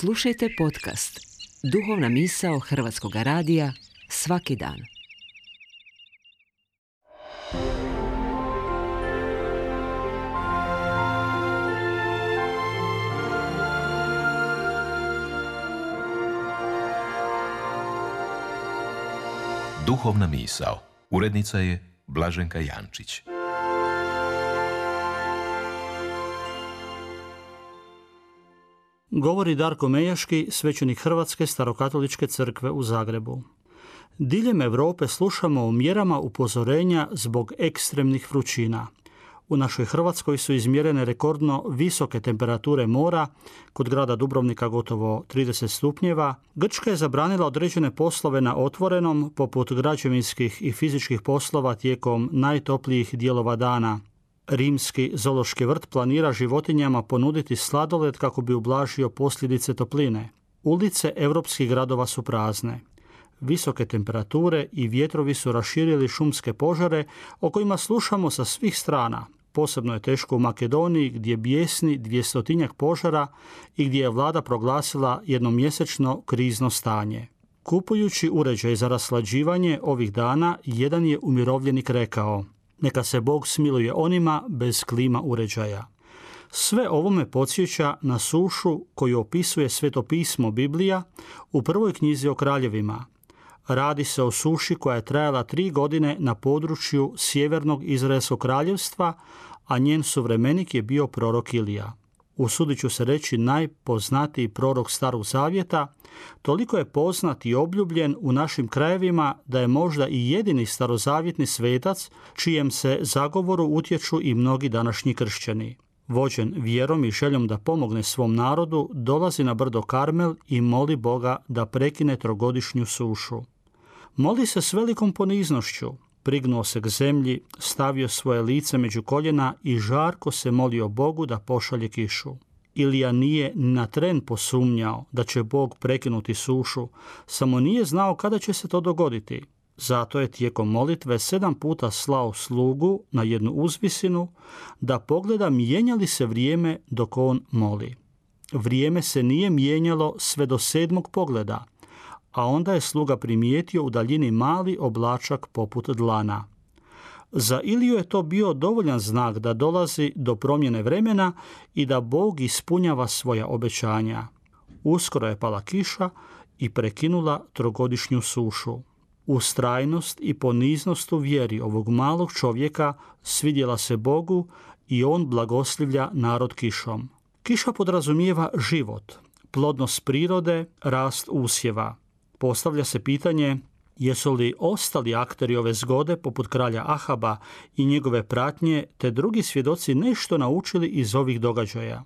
Slušajte podcast Duhovna misao Hrvatskog radija svaki dan. Duhovna misao. Urednica je Blaženka Jančić. Govori Darko Mejaški, svećenik Hrvatske starokatoličke crkve u Zagrebu. Diljem Europe slušamo o mjerama upozorenja zbog ekstremnih vrućina. U našoj Hrvatskoj su izmjerene rekordno visoke temperature mora, kod grada Dubrovnika gotovo 30 stupnjeva. Grčka je zabranila određene poslove na otvorenom, poput građevinskih i fizičkih poslova tijekom najtoplijih dijelova dana. Rimski zoološki vrt planira životinjama ponuditi sladoled kako bi ublažio posljedice topline. Ulice europskih gradova su prazne. Visoke temperature i vjetrovi su raširili šumske požare o kojima slušamo sa svih strana. Posebno je teško u Makedoniji gdje bijesni 200-tinjak požara i gdje je vlada proglasila jednomjesečno krizno stanje. Kupujući uređaj za raslađivanje ovih dana, jedan je umirovljenik rekao: neka se Bog smiluje onima bez klima uređaja. Sve ovo me podsjeća na sušu koju opisuje Sveto pismo Biblija u prvoj knjizi o kraljevima. Radi se o suši koja je trajala 3 godine na području sjevernog Izraelskog kraljevstva, a njen suvremenik je bio prorok Ilija. Usudit ću se reći najpoznatiji prorok Starog zavjeta, toliko je poznat i obljubljen u našim krajevima da je možda i jedini starozavjetni svetac čijem se zagovoru utječu i mnogi današnji kršćani. Vođen vjerom i željom da pomogne svom narodu, dolazi na brdo Karmel i moli Boga da prekine trogodišnju sušu. Moli se s velikom poniznošću, prignuo se k zemlji, stavio svoje lice među koljena i žarko se molio Bogu da pošalje kišu. Ilija nije na tren posumnjao da će Bog prekinuti sušu, samo nije znao kada će se to dogoditi. Zato je tijekom molitve 7 puta slao slugu na jednu uzvisinu da pogleda mijenja li se vrijeme dok on moli. Vrijeme se nije mijenjalo sve do 7. pogleda, a onda je sluga primijetio u daljini mali oblačak poput dlana. Za Iliju je to bio dovoljan znak da dolazi do promjene vremena i da Bog ispunjava svoja obećanja. Uskoro je pala kiša i prekinula trogodišnju sušu. Ustrajnost i poniznost u vjeri ovog malog čovjeka svidjela se Bogu i on blagoslivlja narod kišom. Kiša podrazumijeva život, plodnost prirode, rast usjeva. Postavlja se pitanje jesu li ostali akteri ove zgode poput kralja Ahaba i njegove pratnje te drugi svjedoci nešto naučili iz ovih događaja.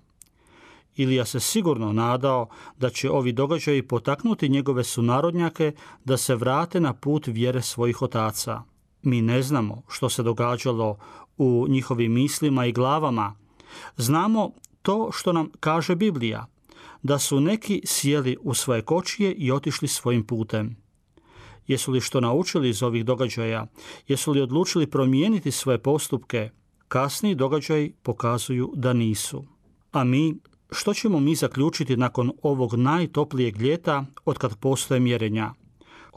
Ilija se sigurno nadao da će ovi događaji potaknuti njegove sunarodnjake da se vrate na put vjere svojih otaca. Mi ne znamo što se događalo u njihovim mislima i glavama. Znamo to što nam kaže Biblija, da su neki sjeli u svoje kočije i otišli svojim putem. Jesu li što naučili iz ovih događaja? Jesu li odlučili promijeniti svoje postupke? Kasniji događaji pokazuju da nisu. A mi, što ćemo mi zaključiti nakon ovog najtoplijeg ljeta otkad postoje mjerenja?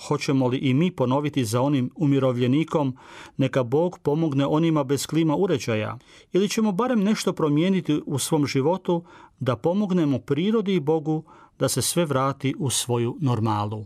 Hoćemo li i mi ponoviti za onim umirovljenikom neka Bog pomogne onima bez klima uređaja? Ili ćemo barem nešto promijeniti u svom životu da pomognemo prirodi i Bogu da se sve vrati u svoju normalu?